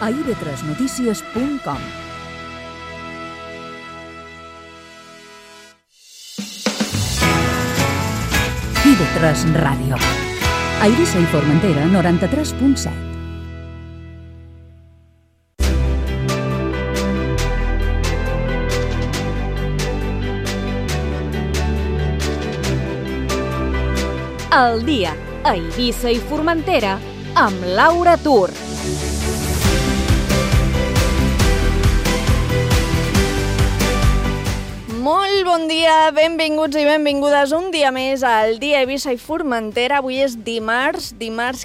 a ib3notícies.com. IB3 Ràdio. A Eivissa i Formentera, 93.7. El dia a Eivissa i Formentera amb Laura Tur. Molt bon dia, benvinguts i benvingudes un dia més al dia Eivissa i Formentera. Avui és dimarts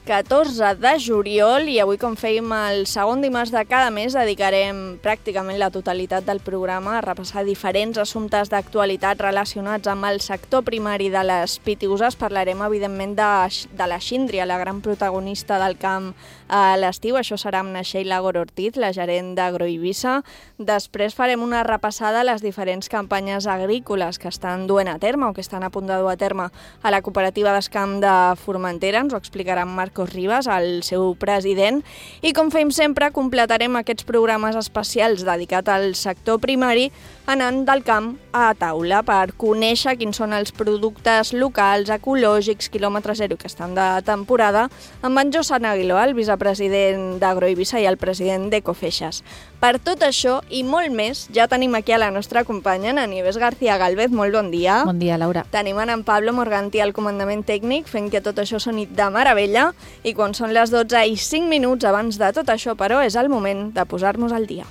14 de juliol i avui, com fèiem el segon dimarts de cada mes, dedicarem pràcticament la totalitat del programa a repassar diferents assumptes d'actualitat relacionats amb el sector primari de les Pitiüses. Parlarem, evidentment, de la síndria, la gran protagonista del camp a l'estiu. Això serà amb na Sheila Goro-Ortiz, la gerent d'Agroeivissa. Després farem una repassada a les diferents campanyes agrícoles que estan duent a terme o que estan a punt de dur a terme a la cooperativa d'Escamp de Formentera. Ens ho explicarà Marcos Ribas, el seu president. I com fem sempre, completarem aquests programes especials dedicats al sector primari anant del camp a taula per conèixer quins són els productes locals, ecològics, quilòmetre zero que estan de temporada, amb en Josan Aguiló, el vicepresident d'Agroeivissa i el president d'Ecofeixes. Per tot això i molt més, ja tenim aquí a la nostra companya, en Nieves García Galvez. Molt bon dia. Bon dia, Laura. Tenim en Pablo Morganti al comandament tècnic, fent que tot això soni de meravella. I quan són les 12 i 5 minuts abans de tot això, però, és el moment de posar-nos al dia.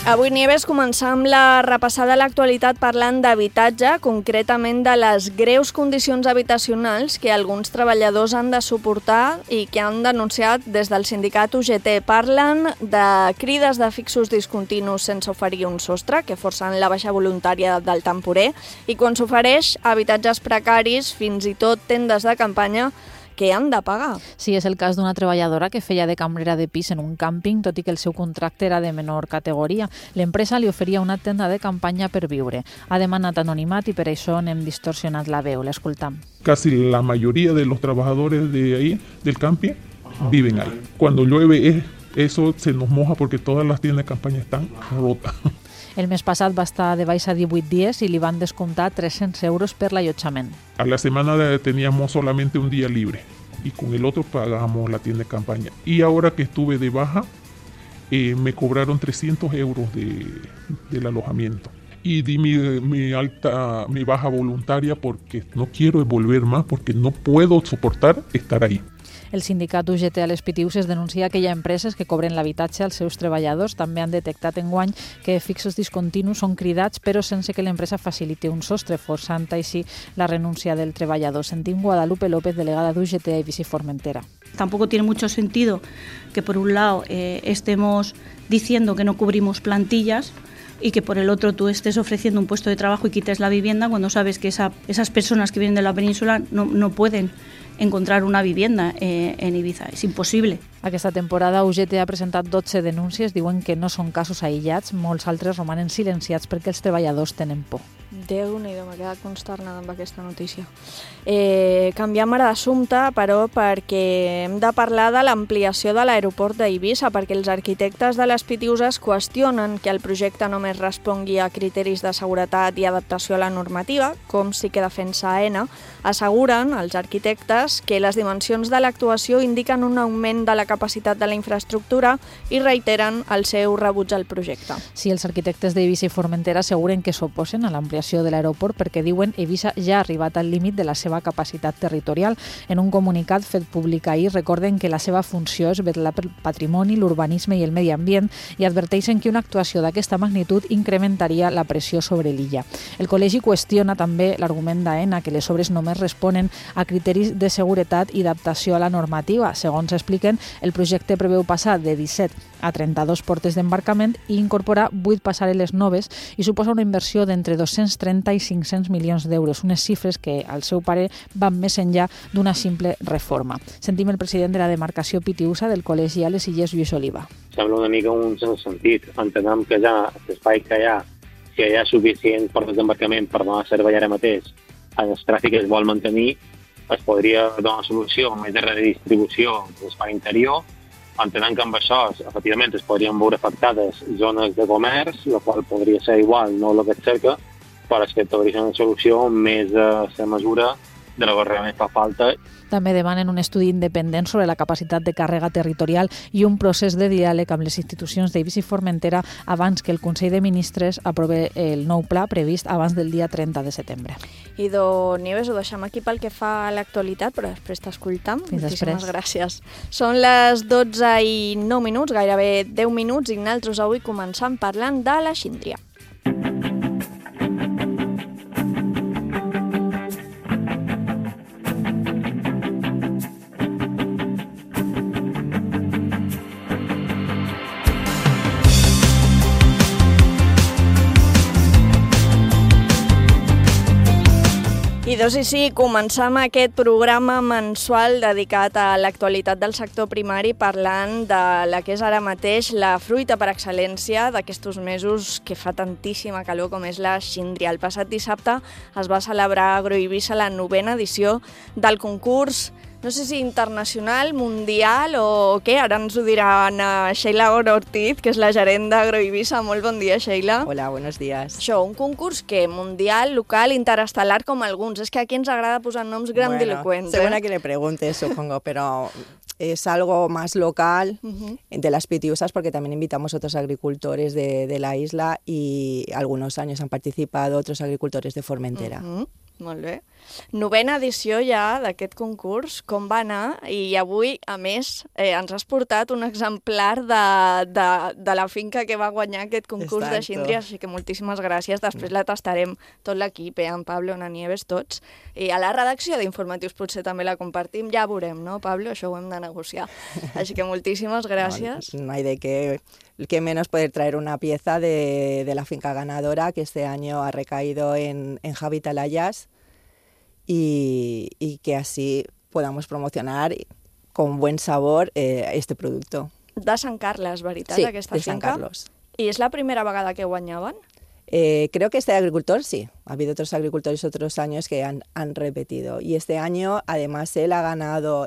Avui, Nieves, començar amb la repassada a l'actualitat parlant d'habitatge, concretament de les greus condicions habitacionals que alguns treballadors han de suportar i que han denunciat des del sindicat UGT. Parlen de crides de fixos discontinus sense oferir un sostre, que forcen la baixa voluntària del temporer, i quan s'ofereix habitatges precaris, fins i tot tendes de campanya, que han de pagar. Sí, és el cas d'una treballadora que feia de cambrera de pis en un càmping, tot i que el seu contracte era de menor categoria. L'empresa li oferia una tenda de campanya per viure. Ha demanat anonimat i per això n'hem distorsionat la veu. L'escoltam. Casi la mayoría de los trabajadores de ahí, del camping, viven ahí. Cuando llueve, eso se nos moja porque todas las tiendas de campaña están rotas. El mes passat va estar de baixa 18 dies i li van descomptar 300 euros per l'allotjament. A la semana teníamos solamente un día libre y con el otro pagábamos la tienda de campaña. Y ahora que estuve de baja, me cobraron 300 euros del alojamiento. Y di mi baja voluntaria porque no quiero volver más, porque no puedo soportar estar ahí. El sindicat UGT a les Pitiüses denuncia que hi ha empreses que cobren l'habitatge als seus treballadors. També han detectat enguany que fixos discontinus són cridats, però sense que l'empresa faciliti un sostre, forçant així la renúncia del treballador. Sentim Guadalupe López, delegada d'UGT a Eivissa i Formentera. Tampoco tiene mucho sentido que por un lado estemos diciendo que no cubrimos plantillas y que por el otro tú estés ofreciendo un puesto de trabajo y quites la vivienda cuando sabes que esas personas que vienen de la península no pueden encontrar una vivienda en Ibiza. És impossible. Aquesta temporada UGT ha presentat 12 denúncies, diuen que no són casos aïllats, molts altres romanen silenciats perquè els treballadors tenen por. Déu-n'hi-do, m'ha quedat consternada amb aquesta notícia. Canviem ara d'assumpte, però, perquè hem de parlar de l'ampliació de l'aeroport d'Eivissa, perquè els arquitectes de les Pitiüses qüestionen que el projecte només respongui a criteris de seguretat i adaptació a la normativa, com sí que defensa AENA. Asseguren els arquitectes que les dimensions de l'actuació indiquen un augment de la capacitat de la infraestructura i reiteren el seu rebuig al projecte. Sí, els arquitectes d'Eivissa i Formentera asseguren que s'oposen a l'ampliació de l'aeroport perquè diuen Eivissa ja ha arribat al límit de la seva capacitat territorial. En un comunicat fet públic ahir recorden que la seva funció és vetllar pel patrimoni, l'urbanisme i el medi ambient i adverteixen que una actuació d'aquesta magnitud incrementaria la pressió sobre l'illa. El col·legi qüestiona també l'argument d'AENA que les obres només responen a criteris de seguretat i adaptació a la normativa. Segons expliquen, el projecte preveu passar de 17 a 32 portes d'embarcament i incorporar 8 passarel·les noves i suposa una inversió d'entre 230 i 500 milions d'euros, unes xifres que, al seu parer, van més enllà d'una simple reforma. Sentim el president de la demarcació Pitiüsa del Col·legi a les Illes, Lluís Oliva. Sembla una mica un sentit. Entenem que ja l'espai que hi ha si hi ha suficient port de desembarcament per donar servei ara mateix el tràfic que es vol mantenir, es podria donar solució més de redistribució de l'espai interior, entenent que amb això, efectivament, es podrien veure afectades zones de comerç, la qual podria ser igual, no el que es cerca, però és que podria ser una solució més a la mesura de la que realment fa falta. També demanen un estudi independent sobre la capacitat de càrrega territorial i un procés de diàleg amb les institucions d'Eivissa i Formentera abans que el Consell de Ministres aprove el nou pla previst abans del dia 30 de setembre. Idò Nieves, ho deixem aquí pel que fa a l'actualitat, però després t'escoltam. Moltíssimes gràcies. Són les 12:09, gairebé 10 minuts, i nosaltres avui començam parlant de la síndria. I doncs sí, començam aquest programa mensual dedicat a l'actualitat del sector primari parlant de la que és ara mateix la fruita per excel·lència d'aquests mesos que fa tantíssima calor com és la síndria. El passat dissabte es va celebrar a Agroeivissa la 9ª edició del concurs, no sé si internacional, mundial o què, ara ens ho diran Sheila Ortiz, que és la gerent d'Agroeivissa. Molt bon dia, Sheila. Hola, buenos días. Això, un concurs que mundial, local, interestel·lar com alguns. És que aquí ens agrada posar noms grandilocuents. Bueno, según a quien le pregunte, supongo, pero es algo más local de las Pitiusas, porque también invitamos a otros agricultores de la isla y algunos años han participado otros agricultores de Formentera. Molt bé. 9ª edició ja d'aquest concurs, com va anar? I avui, a més, ens has portat un exemplar de la finca que va guanyar aquest concurs de síndria, així que moltíssimes gràcies. Després la tastarem tot l'equip, en Pablo, en Nieves, tots. I a la redacció d'Informatius potser també la compartim, ja veurem, no, Pablo? Això ho hem de negociar. Així que moltíssimes gràcies. No hay de qué menos poder traer una pieza de la finca ganadora que este año ha recaído en Javi Talayas y que así podamos promocionar con buen sabor este producto. De Sant Carles, veritat, sí, aquesta finca? Sí, de Sant Carlos. I és la primera vegada que guanyaven? Creo que este agricultor sí, ha habido otros agricultores otros años que han repetido y este año además él ha ganado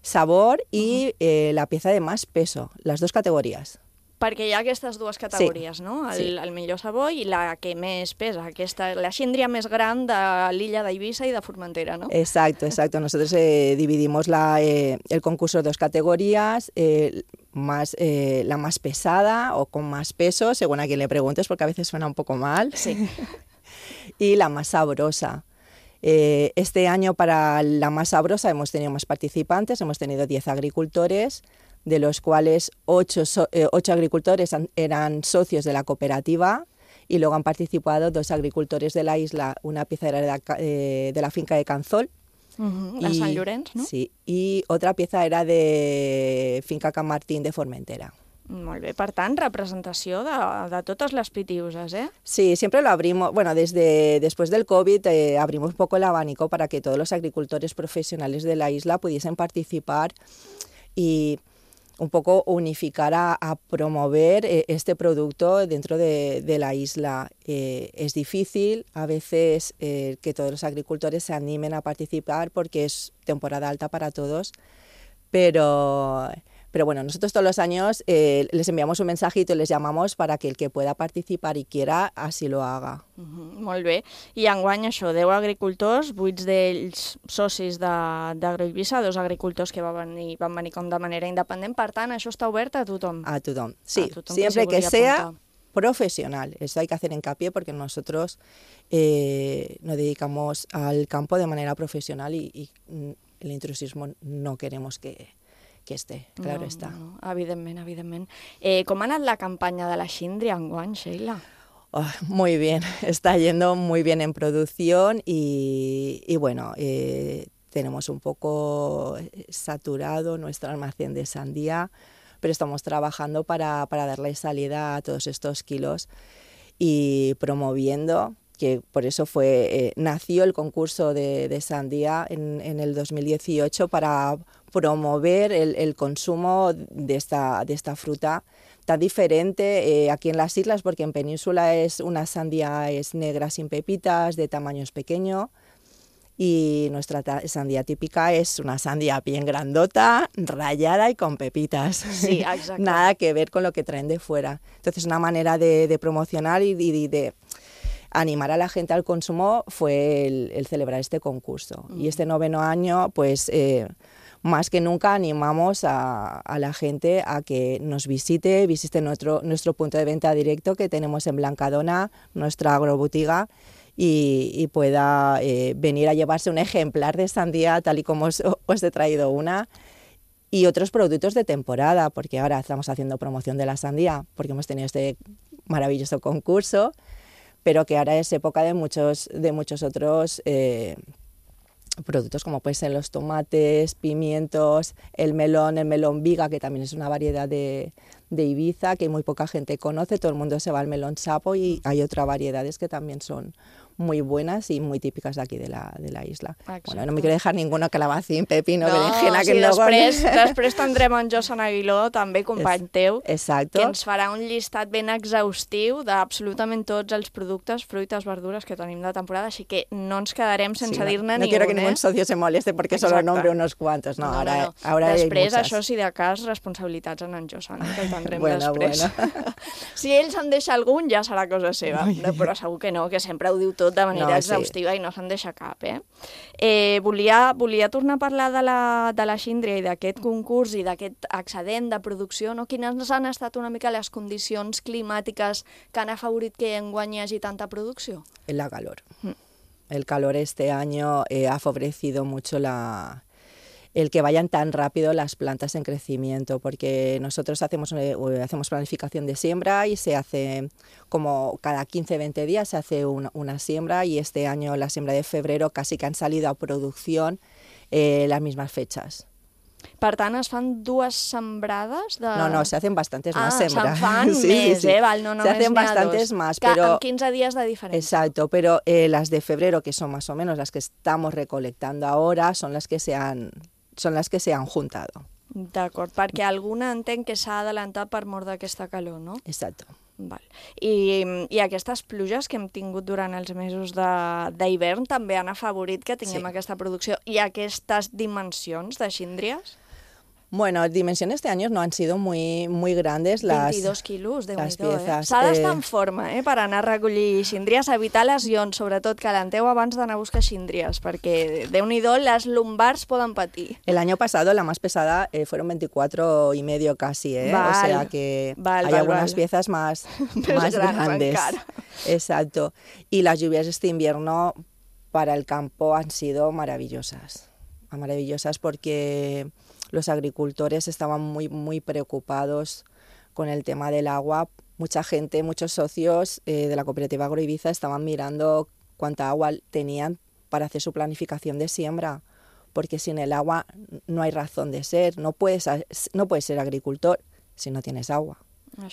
sabor y la pieza de más peso, las dos categorías. Perquè hi ha aquestes dues categories, no? El millor sabor i la que més pesa, la síndria més gran de l'illa d'Eivissa i de Formentera, ¿no? Exacto. Nosotros dividimos el concurso en dos categorías, la más pesada o con más peso, según a quien le preguntes, porque a veces suena un poco mal, sí. Y la más sabrosa. Este año para la más sabrosa hemos tenido más participantes, hemos tenido 10 agricultores, de los cuales 8 agricultores eran socios de la cooperativa y luego han participado 2 agricultores de la isla, una pieza era de la finca de Canzol. De Sant Llorenç, no? Sí, y otra pieza era de finca Can Martín de Formentera. Molt bé, per tant, representació de totes les pitiuses, ¿eh? Sí, siempre lo abrimos, bueno, después del COVID abrimos un poco el abanico para que todos los agricultores profesionales de la isla pudiesen participar y un poco unificar a promover este producto dentro de la isla. Es difícil a veces que todos los agricultores se animen a participar porque es temporada alta para todos, pero bueno, nosotros todos los años les enviamos un mensajito y les llamamos para que el que pueda participar y quiera así lo haga. Molt bé. I enguany això, 10 agricultors, 8 d'ells socis d'Agroeivissa, 2 agricultors que van venir com de manera independent. Per tant, això està obert a tothom? A tothom, sí. A tothom siempre que sea profesional. Eso hay que hacer hincapié porque nosotros nos dedicamos al campo de manera profesional y el intrusismo no queremos que esté, claro está. No, evidentment. Com ha anat la campanya de la síndria enguany, Sheila? Muy bien, está yendo muy bien en producción y bueno, tenemos un poco saturado nuestro almacén de sandía, pero estamos trabajando para darle salida a todos estos kilos y promoviendo, que por eso nació el concurso de sandía en el 2018 para promover el consumo de esta fruta tan diferente aquí en las islas, porque en Península una sandía es negra sin pepitas, de tamaño pequeño, y nuestra sandía típica es una sandía bien grandota, rayada y con pepitas. Sí, exacte. Nada que ver con lo que traen de fuera. Entonces, una manera de promocionar y de animar a la gente al consumo fue el celebrar este concurso. Y este 9º año, pues más que nunca animamos a la gente a que nos visite nuestro punto de venta directo que tenemos en Blancadona, nuestra agrobotiga, y pueda venir a llevarse un ejemplar de sandía, tal y como os he traído una, y otros productos de temporada, porque ahora estamos haciendo promoción de la sandía, porque hemos tenido este maravilloso concurso, pero que ahora es época de muchos otros productos, como pueden ser los tomates, pimientos, el melón viga, que también es una variedad de Ibiza, que muy poca gente conoce, todo el mundo se va al melón sapo, y hay otras variedades que también son muy buenas y muy típiques d'aquí de la isla. Exacte. Bueno, no me quiero dejar ninguno, calabacín, pepino, No, berenjena, sí, que luego... després tindrem en Josan Aguiló, també company teu, Exacto. que ens farà un llistat ben exhaustiu d'absolutament tots els productes, fruites, verdures que tenim de temporada, així que no ens quedarem sense dir-ne no ningú. quiero que ningún socio se moleste porque solo nombre unos cuantos. No, ahora Després, hay això, muchas. si de cas, responsabilitats en Josan, que el tindrem Bueno, després. Si ell se'n deixa algun, ja serà cosa seva, però segur que no, que sempre ho diu tot de manera exhaustiva i no se'n deixa cap, Volia tornar a parlar de la síndria i d'aquest concurs i d'aquest excedent de producció, no? Quines han estat una mica les condicions climàtiques que han afavorit que enguany hi hagi tanta producció? La calor. El calor este año ha favorecido mucho el que vayan tan rápido las plantas en crecimiento, porque nosotros hacemos planificación de siembra y se hace como cada 15-20 días se hace una siembra, y este año la siembra de febrero casi que han salido a producción las mismas fechas. Per tant, es fan dues sembrades de... No, se hacen bastantes más sembras. Se'n fan més, val, no se hacen bastantes dos. más, pero... Amb 15 días de diferencia. Exacto, pero las de febrero, que son más o menos las que estamos recolectando ahora, son las que se han juntado. D'acord, perquè alguna entenc que s'ha adelantat per mort d'aquesta calor, no? Exacto. Val. I aquestes pluges que hem tingut durant els mesos d'hivern també han afavorit que tinguem aquesta producció i aquestes dimensions de síndries? Bueno, dimensiones de años no han sido muy grandes. 22 quilos, las piezas. S'ha d'estar en forma, per anar a recollir síndries, evitar lesions, sobretot calenteu abans d'anar a buscar síndries, perquè, Déu-n'hi-do, les lumbars poden patir. El año pasado la más pesada fueron 24,5 casi, o sea que hay algunas piezas más grandes. Exacto. Y las lluvias de este invierno para el campo han sido maravillosas porque los agricultores estaban muy preocupados con el tema del agua. Mucha gente, muchos socios de la cooperativa Agroibiza estaban mirando cuánta agua tenían para hacer su planificación de siembra, porque sin el agua no hay razón de ser. No puedes ser agricultor si no tienes agua.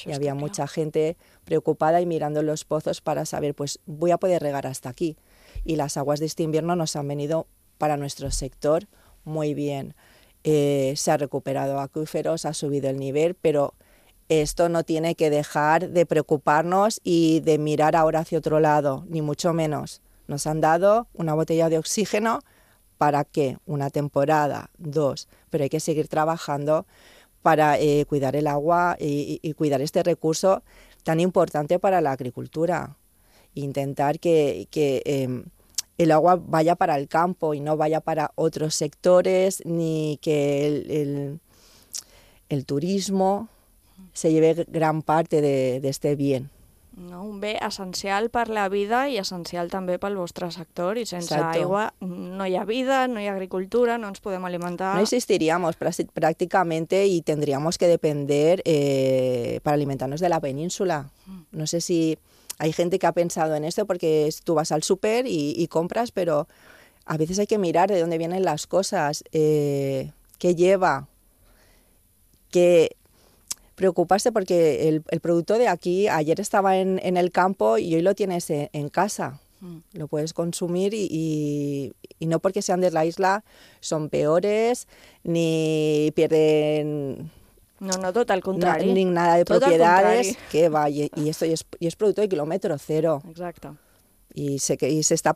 Y había mucha gente preocupada y mirando los pozos para saber, pues voy a poder regar hasta aquí. Y las aguas de este invierno nos han venido para nuestro sector muy bien. Se ha recuperado acuíferos, ha subido el nivel, pero esto no tiene que dejar de preocuparnos y de mirar ahora hacia otro lado, ni mucho menos. Nos han dado una botella de oxígeno para ¿qué? Una temporada, 2, pero hay que seguir trabajando para cuidar el agua y cuidar este recurso tan importante para la agricultura. Intentar que el agua vaya para el campo y no vaya para otros sectores, ni que el turismo se lleve gran parte de este bien. No, un bé essencial per la vida i essencial també pel vostre sector, i sense aigua no hi ha vida, no hi ha agricultura, no ens podem alimentar. No existiríamos prácticamente y tendríamos que depender para alimentarnos de la península. No sé si hay gente que ha pensado en esto, porque tú vas al súper y compras, pero a veces hay que mirar de dónde vienen las cosas, qué lleva, qué... Preocuparse porque el producto de aquí ayer estaba en el campo y hoy lo tienes en casa. Lo puedes consumir y no porque sean de la isla son peores ni pierden No, tot el contrari. Ni nada de Tot el propiedades, contrari. que va, y esto y es producto de kilómetro cero. Exacte. Y se está,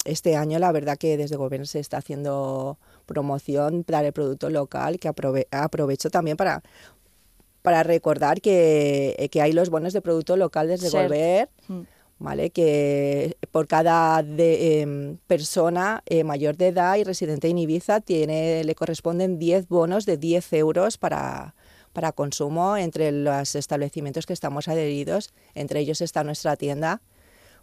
este año la verdad que desde el gobierno se está haciendo promoción para el producto local, que aprovecho también para recordar que hay los bonos de producto local desde el gobierno, ¿vale? Que por cada persona mayor de edad y residente en Ibiza le corresponden 10 bonos de 10 euros para consumo entre los establecimientos que estamos adheridos. Entre ellos está nuestra tienda.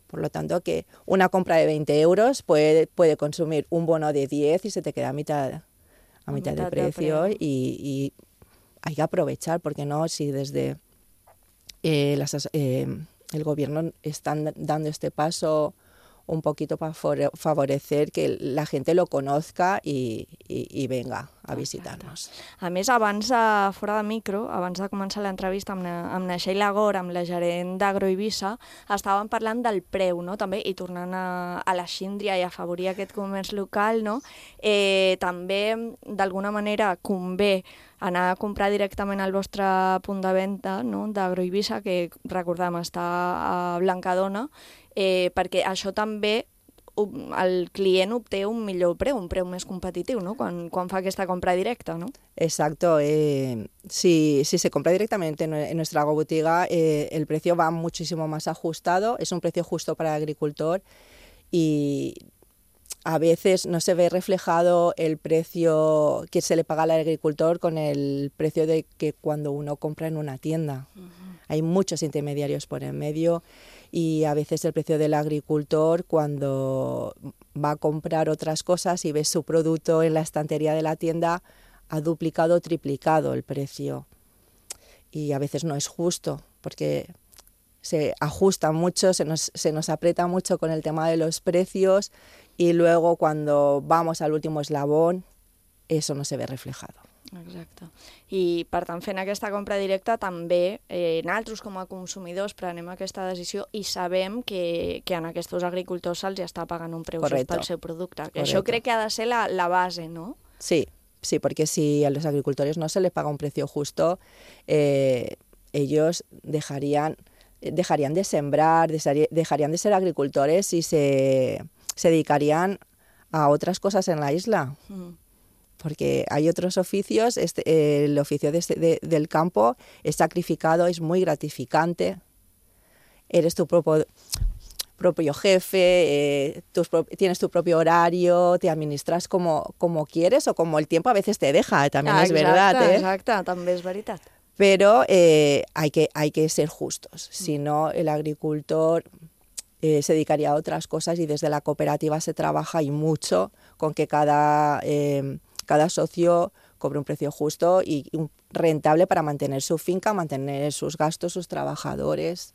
Por lo tanto, que una compra de 20 euros puede consumir un bono de 10 y se te queda a mitad de precio. Y hay que aprovechar, porque no, si desde el gobierno están dando este paso un poquito para favorecer que la gente lo conozca y venga a visitar-nos. A més, fora de micro, abans de començar l'entrevista amb na Sheila Gor, amb la gerent d'Agroibisa, estàvem parlant del preu, no? També, i tornant a la síndria i a afavorir aquest comerç local, no? També, d'alguna manera, convé anar a comprar directament al vostre punt de venda, no? d'Agroibisa, que recordem està a Blancadona, perquè això també el client obté un millor preu, un preu més competitiu, ¿no? Quan fa aquesta compra directa, ¿no? Exacto. Si se compra directamente en nuestra agrobotiga, el precio va muchísimo más ajustado, es un precio justo para el agricultor y a veces no se ve reflejado el precio que se le paga al agricultor con el precio de que cuando uno compra en una tienda. Hay muchos intermediarios por en medio y a veces el precio del agricultor, cuando va a comprar otras cosas y ve su producto en la estantería de la tienda, ha duplicado o triplicado el precio. Y a veces no es justo, porque se ajusta mucho, se nos aprieta mucho con el tema de los precios y luego cuando vamos al último eslabón, eso no se ve reflejado. Exacte. I, per tant, fent aquesta compra directa, també nosaltres com a consumidors prenem aquesta decisió i sabem que en aquests agricultors se'ls està pagant un preu just pel seu producte. Que això crec que ha de ser la base, ¿no? Sí, porque si a los agricultores no se les paga un precio justo, ellos dejarían de sembrar, dejarían de ser agricultores y se dedicarían a otras cosas en la isla. Porque hay otros oficios, el oficio del campo es sacrificado, es muy gratificante. Eres tu propio jefe, tienes tu propio horario, te administras como quieres o como el tiempo a veces te deja, también es verdad. Exacte, també és veritat. Pero hay que ser justos, si no el agricultor se dedicaría a otras cosas y desde la cooperativa se trabaja y mucho con que cada socio cobre un precio justo y rentable para mantener su finca, mantener sus gastos, sus trabajadores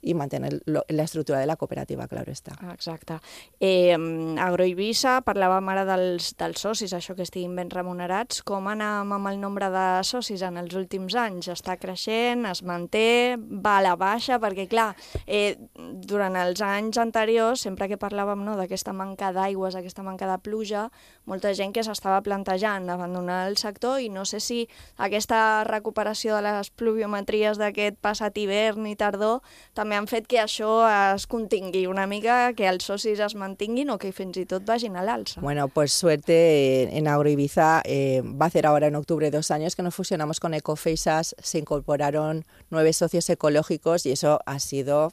i mantenir la estructura de la cooperativa, claro està. Exacte. Agroibisa, parlàvem ara dels socis, això que estiguin ben remunerats. Com anem amb el nombre de socis en els últims anys? Està creixent, es manté, va a la baixa? Perquè, clar, durant els anys anteriors, sempre que parlàvem d'aquesta manca d'aigües, aquesta manca de pluja, molta gent que s'estava plantejant abandonar el sector i no sé si aquesta recuperació de les pluviometries d'aquest passat hivern i tardor també han fet que això es contingui una mica, que els socis es mantinguin o que fins i tot vagin a l'alça. Bueno, pues suerte en Agroibiza. Va a hacer ahora en octubre 2 años que nos fusionamos con Ecofeisas, se incorporaron 9 socios ecológicos y eso ha sido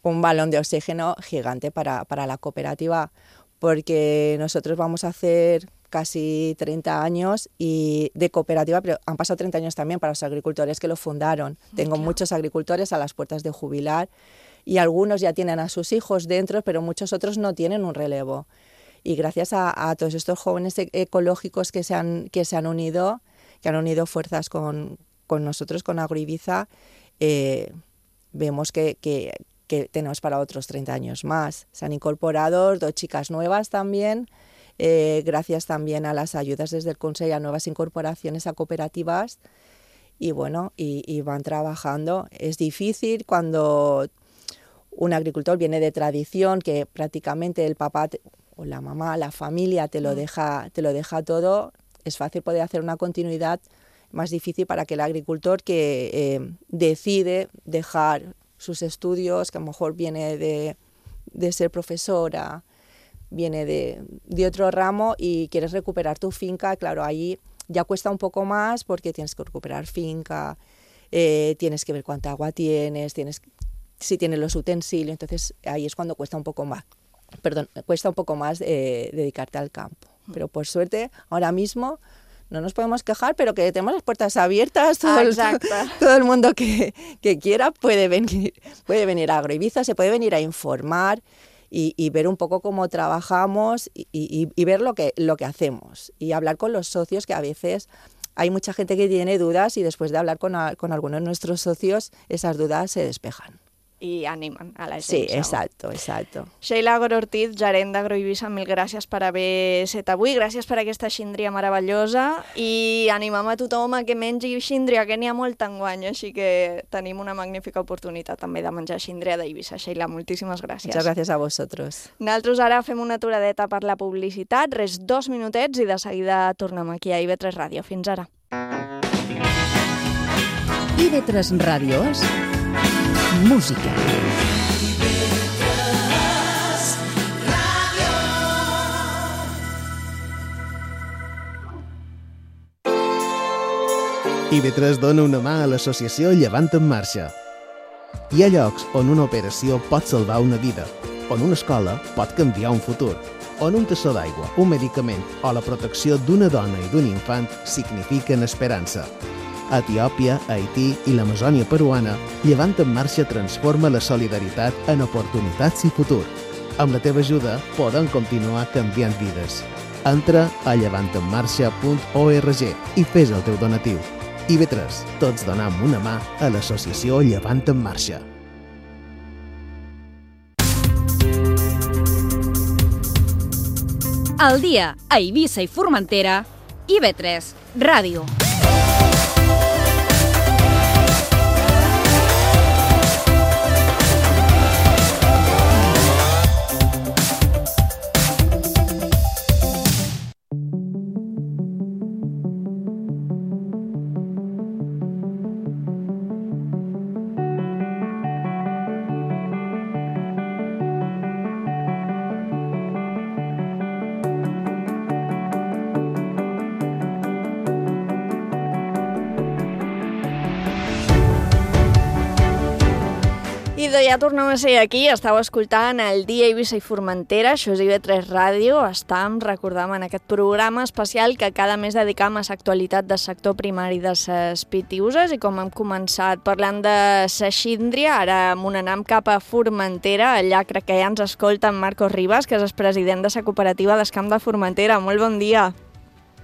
un balón de oxígeno gigante para la cooperativa, porque nosotros vamos a hacer casi 30 años y de cooperativa, pero han pasado 30 años también para los agricultores que lo fundaron. Tengo muchos agricultores a las puertas de jubilar y algunos ya tienen a sus hijos dentro, pero muchos otros no tienen un relevo. Y gracias a todos estos jóvenes ecológicos que se han unido fuerzas con nosotros, con Agroibiza, vemos que tenemos para otros 30 años más. Se han incorporado 2 chicas nuevas también, gracias también a las ayudas desde el Consejo a nuevas incorporaciones a cooperativas y bueno, y van trabajando. Es difícil cuando un agricultor viene de tradición, que prácticamente el papá o la mamá, la familia te lo deja todo. Es fácil poder hacer una continuidad más difícil para aquel agricultor que decide dejar sus estudios, que a lo mejor viene de ser profesora, viene de otro ramo y quieres recuperar tu finca. Claro, ahí ya cuesta un poco más porque tienes que recuperar finca, tienes que ver cuánta agua tienes, si tienes los utensilios, entonces ahí es cuando cuesta un poco más. Cuesta un poco más dedicarte al campo. Pero por suerte, ahora mismo no nos podemos quejar, pero que tenemos las puertas abiertas. Todo el mundo que quiera puede venir a Agroibiza, se puede venir a informar y ver un poco cómo trabajamos y ver lo que hacemos. Y hablar con los socios, que a veces hay mucha gente que tiene dudas y después de hablar con algunos de nuestros socios, esas dudas se despejan. I animen a la gent. Sí, exacto. Sheila Agorortiz, gerent d'Agroibiza, mil gràcies per haver set avui, gràcies per aquesta xíndria meravellosa i animem a tothom a que mengi xíndria, que n'hi ha molt enguany, així que tenim una magnífica oportunitat també de menjar xíndria d'Eivissa. Sheila, moltíssimes gràcies. Muchas gracias a vosotros. Nosaltres ara fem una aturadeta per la publicitat, res 2 minutets i de seguida tornem aquí a IB3 Ràdio. Fins ara. IB3 Ràdio és música. IB3 dona una mà a l'associació Llevant en Marxa. Hi ha llocs on una operació pot salvar una vida, on una escola pot canviar un futur, on un tassó d'aigua, un medicament o la protecció d'una dona i d'un infant signifiquen esperança. A Etiòpia, Haití i l'Amazònia peruana, Llevant en Marxa transforma la solidaritat en oportunitats i futur. Amb la teva ajuda podem continuar canviant vides. Entra a llevantenmarxa.org i fes el teu donatiu. IB3, tots donem una mà a l'associació Llevant en Marxa. Al dia a Eivissa i Formentera, IB3 Ràdio. Ja tornem a ser aquí, estàu escoltant el Dia Eivissa i Formentera, això és IB3 Ràdio, estem recordant en aquest programa especial que cada mes dedicam a l'actualitat del sector primari de les pitiuses i com hem començat parlant de la xíndria, ara anem cap a Formentera, allà crec que ja ens escolta en Marcos Ribas, que és el president de la cooperativa d'Escamp de Formentera. Molt bon dia.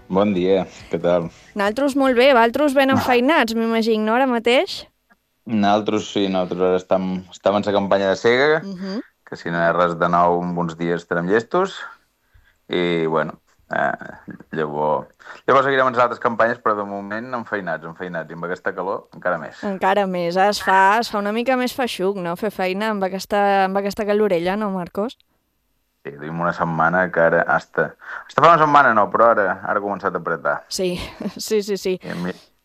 Bon dia, què tal? Nosaltres molt bé, vosaltres ben enfeinats, m'imagino, ara mateix? Nosaltres sí, nosaltres ara estem en la campanya de sega, que si no hi ha res de nou, en uns dies estarem llestos, i bueno, llavors seguirem en les altres campanyes, però de moment enfeinats, i amb aquesta calor encara més. Encara més, es fa una mica més feixuc, no?, fer feina amb aquesta calorella, no, Marcos? Sí, duim una setmana que ara hasta fa una setmana no, però ara ha començat a apretar. Sí.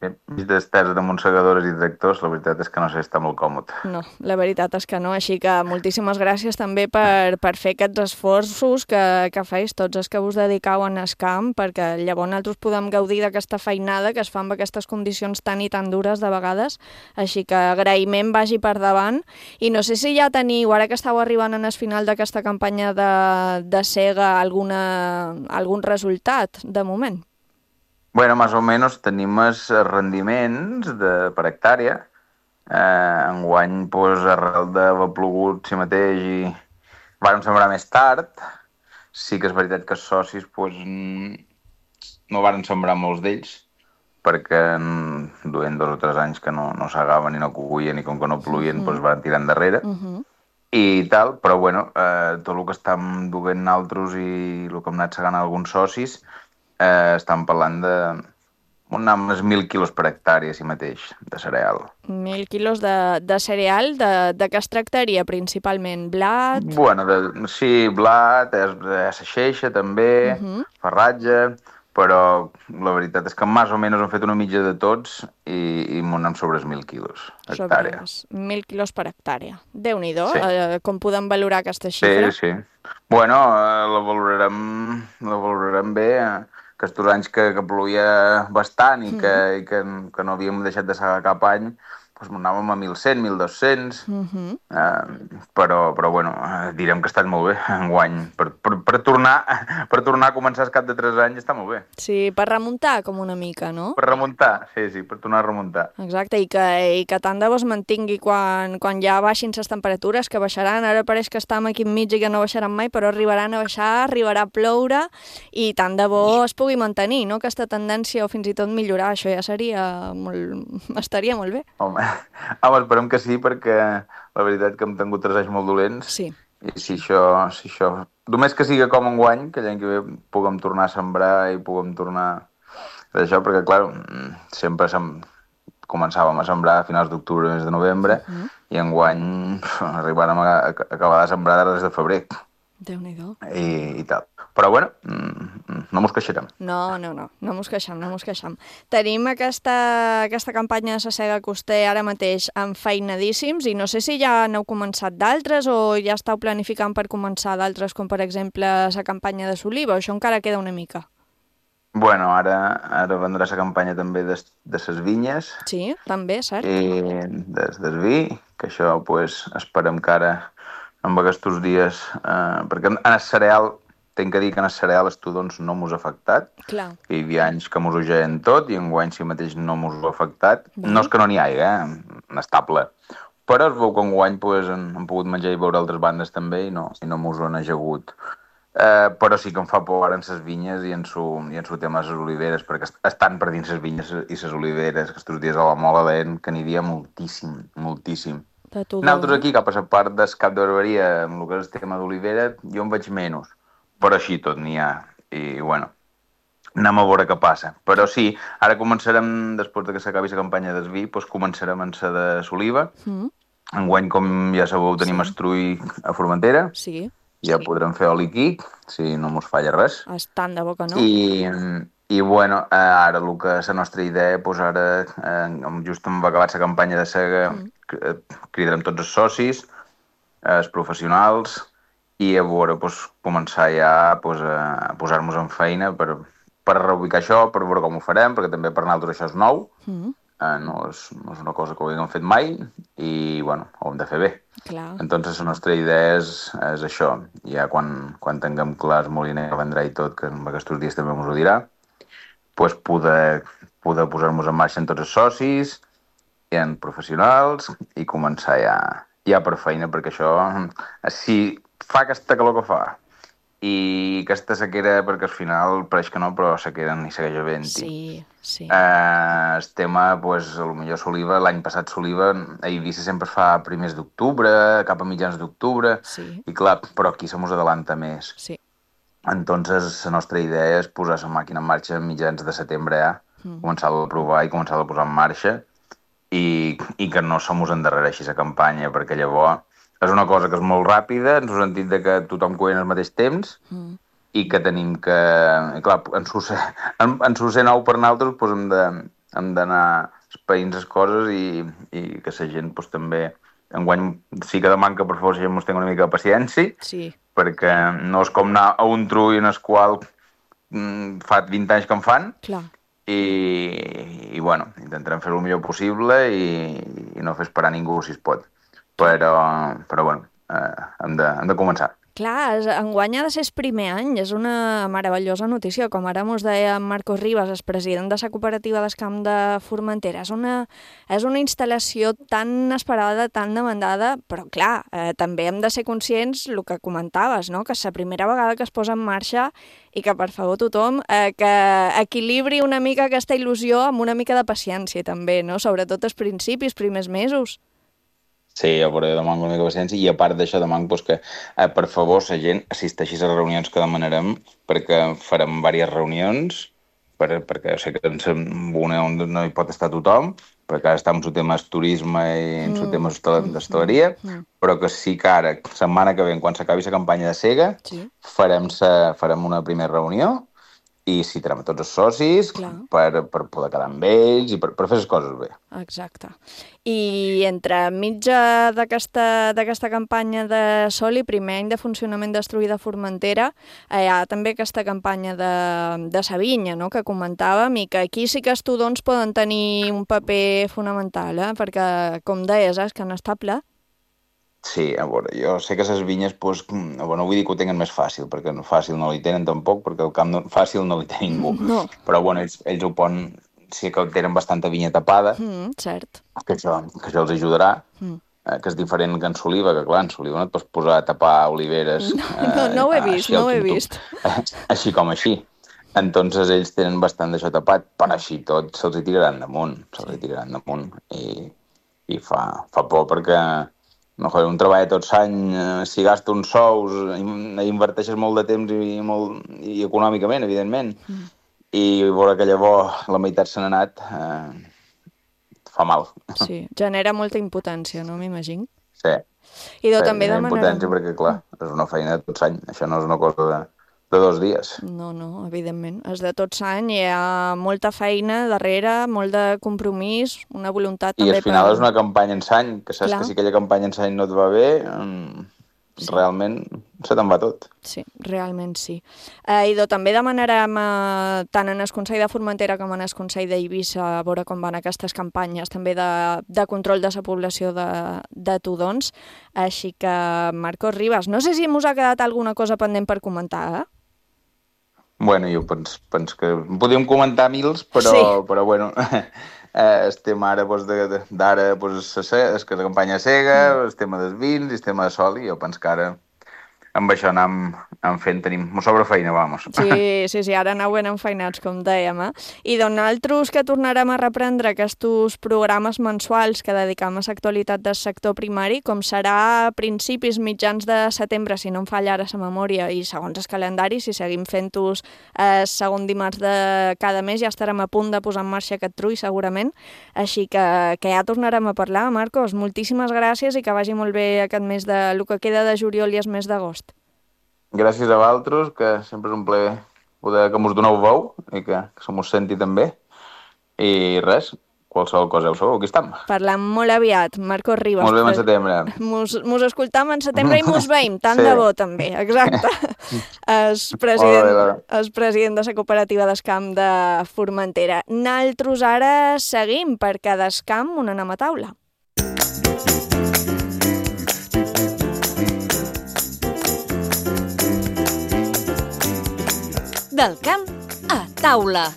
I mig d'estès de monssegadores i tractors, la veritat és que no sé, està molt còmode. No, la veritat és que no, així que moltíssimes gràcies també per fer aquests esforços que feis tots els que us dedicau en el camp, perquè llavors nosaltres podem gaudir d'aquesta feinada que es fa amb aquestes condicions tan i tan dures de vegades, així que agraïment vagi per davant, i no sé si ja teniu, ara que estàu arribant en el final d'aquesta campanya de sega, algun resultat de moment? Bueno, más o menos tenim els rendiments per hectàrea. Enguany, arrel d'haver plogut si mateix i vàrem sembrar més tard. Sí que és veritat que els socis no varen sembrar molts d'ells, perquè duien 2 o 3 anys que no segaven i no coguien i com que no plovien van tirar endarrere. I tal, però bueno, tot el que estem duent nosaltres i el que hem anat segant alguns socis, estan parlant d'uns 1.000 quilos per hectàrea, si mateix, de cereal. 1.000 quilos de cereal, de què es tractaria principalment? Blat? Bueno, sí, blat, seixeixa també, farratge, però la veritat és que més o menys hem fet una mitja de tots i anem sobre els 1.000 quilos hectàrea. Sobre 1.000 quilos per hectàrea. Déu-n'hi-do, Sí. Com podem valorar aquesta xifra? Sí. Bueno, la valorarem bé, que estos anys que plovia bastant i que no havíem deixat de segar cap any, doncs anàvem a 1.100, 1.200, però bueno, direm que ha estat molt bé enguany. Per tornar a començar al cap de 3 anys està molt bé. Sí, per remuntar com una mica, no? Per remuntar, sí, per tornar a remuntar. Exacte, i que tant de bo es mantingui quan ja baixin les temperatures, que baixaran. Ara pareix que estem aquí enmig i que no baixaran mai, però arribaran a baixar, arribarà a ploure, i tant de bo es pugui mantenir, no?, aquesta tendència, o fins i tot millorar. Això ja estaria molt bé. Home, esperem que sí, perquè la veritat que hem tingut 3 anys molt dolents. Sí. I si això... Només que siga com enguany, que l'any que ve puguem tornar a sembrar i puguem tornar a això, perquè, clar, sempre començàvem a sembrar a finals d'octubre, mes de novembre, i enguany arribarem a acabar de sembrar a res de febrer. Déu-n'hi-do. I tal. Però, bueno, no mos queixarem. No mos queixam. Tenim aquesta campanya de Sasega Coster ara mateix enfeinadíssims, i no sé si ja n'heu començat d'altres o ja esteu planificant per començar d'altres, com per exemple la campanya de Soliva, o això encara queda una mica? Bueno, ara vendrà la campanya també de ses vinyes. Sí, també, cert. I del vi, que això pues, esperem que ara, en aquests dies, perquè en el cereal, tinc que dir que en el cereal els tudons no mos ha afectat. Clar. Hi havia anys que mos ho geien tot i enguany si mateix no mos ho ha afectat. No és que no n'hi hagi, estable. Però es veu que enguany pues, hem pogut menjar i beure altres bandes també i no mos ho han ajagut. Però sí que em fa por ara en ses vinyes i en su tema de les oliveres, perquè estan per dins les vinyes i les oliveres, que estos dies a la Mola deien que n'hi havia moltíssim. Nosaltres aquí, cap a la part del Cap de Barberia, amb el que és el tema d'olivera, jo en veig menys, però així tot n'hi ha. I, bueno, anem a veure què passa. Però sí, ara començarem, després que s'acabi la campanya del vi, doncs començarem en la de l'oliva. Enguany, com ja sabeu, tenim estrull a Formentera. Sí. Ja podrem fer oli quic, si no mos falla res. Tant de bo que no. I bueno, ara el que és la nostra idea, doncs ara, just hem acabat la campanya de sega, cridarem tots els socis, els professionals, i a veure, doncs, començar ja a posar-nos en feina per reubicar això, per veure com ho farem, perquè també per nosaltres això és nou, no és una cosa que ho haguem fet mai, i bueno, ho hem de fer bé. Clar. Entonces la nostra idea és això, ja quan tinguem clar el moliner que vendrà i tot, que en aquests dies també ens ho dirà, pues poder posar-nos en marxa en tots els socis i en professionals i començar ja per feina, perquè això, si fa aquesta calor que fa i aquesta sequera, perquè al final pareix que no, però sequera ni segueix havent-hi. Sí. El tema, pues, potser s'oliva, l'any passat s'oliva, a Eivissa sempre es fa a primers d'octubre, cap a mitjans d'octubre, i clar, però aquí se mos adelanta més. Sí. Entonces, la nostra idea és posar la màquina en marxa a mitjans de setembre ja, començar-la a provar i començar-la a posar en marxa i que no se mos endarrereixi la campanya, perquè llavors és una cosa que és molt ràpida, en el sentit de que tothom cuina al mateix temps i que tenim que... Clar, en su ser nou per nosaltres doncs hem d'anar espaint les coses i que la gent doncs, també... Enguany sí que demano que per favor la gent ens tingui una mica de paciència, perquè no és com anar a un trull en el qual fa 20 anys que en fan, i bueno, intentarem fer el millor possible i no fer esperar ningú si es pot. Però bueno, hem de començar. Clar, enguany ha de ser el primer any, és una meravellosa notícia, com ara mos deia Marcos Ribas, el president de la cooperativa del Camp de Formentera. És una instal·lació tan esperada, tan demandada, però clar, també hem de ser conscients, el que comentaves, no? Que és la primera vegada que es posa en marxa i que, per favor, tothom, que equilibri una mica aquesta il·lusió amb una mica de paciència, també, no? Sobretot als principis, primers mesos. Sí, jo demano una mica de paciència i a part d'això demano que, per favor, la gent assisteixi a les reunions que demanarem, perquè farem diverses reunions, perquè sé que en una on no hi pot estar tothom, perquè ara està en el tema del turisme i en el tema d'hostaleria, però que sí que ara, setmana que ve, quan s'acabi la campanya de sega, farem una primera reunió i citarem a tots els socis per poder quedar amb ells i per fer les coses bé. Exacte. I entre mitja d'aquesta campanya de Soli, primer any de funcionament d'Estruïda Formentera, hi ha també aquesta campanya de sa vinya, no?, que comentàvem, i que aquí sí que els tudons poden tenir un paper fonamental, perquè, com deies, és que n'està ple. Sí, a veure, jo sé que les vinyes, doncs, no vull dir que ho tenen més fàcil, perquè fàcil no li tenen tampoc, perquè el camp fàcil no li té ningú. No. Però, bueno, ells ho poden, sí que tenen bastanta vinya tapada, cert. Que això els ajudarà, que és diferent que en Soliva, que clar, en Soliva no et pots posar a tapar oliveres. No ho he vist. Així com així. Entonces ells tenen bastant d'això tapat, però així tot se'ls hi tiraran damunt, i fa por perquè un treball tot l'any, si gasta uns sous, inverteixes molt de temps i econòmicament, evidentment, i veure que llavors la meitat se n'ha anat, fa mal. Sí, genera molta impotència, no m'imagino? Sí, també genera impotència perquè, clar, és una feina de tot l'any, això no és una cosa de 2 dies. No, evidentment. És de tot l'any, hi ha molta feina darrere, molt de compromís, una voluntat també... I al final és una campanya en l'any, que saps que si aquella campanya en l'any no et va bé, realment se te'n va tot. Sí, realment sí. I també demanarem tant en el Consell de Formentera com en el Consell d'Eivissa a veure com van aquestes campanyes també de control de la població de tudons. Així que, Marcos Ribas, no sé si mos ha quedat alguna cosa pendent per comentar, Bueno, jo penso que podríem comentar mils, però bueno, estem ara, d'ara, és que la campanya cega, el tema dels vins, el tema de sol, i jo penso que ara amb això anem fent, mos sobra feina, vamos. Sí, ara aneu ben enfeinats, com dèiem, I nosaltres que tornarem a reprendre aquests programes mensuals que dedicam a l'actualitat del sector primari, com serà a principis mitjans de setembre, si no em falla ara la memòria, i segons el calendari, si seguim fent-los segon dimarts de cada mes, ja estarem a punt de posar en marxa aquest trull, segurament. Així que ja tornarem a parlar, Marcos. Moltíssimes gràcies i que vagi molt bé aquest mes el que queda de juliol i el mes d'agost. Gràcies a vosaltres, que sempre és un plaer poder que mos doneu veu i que se mos senti també. I res, qualsevol cosa ho sabeu, aquí estem. Parlem molt aviat, Marcos Ribas. Molt bé en setembre. Mos escoltam en setembre i mos veiem, tant de bo també, exacte. El president de la cooperativa d'Escamp de Formentera. Naltros ara seguim, perquè d'Escamp on anem a taula. Del camp a taula.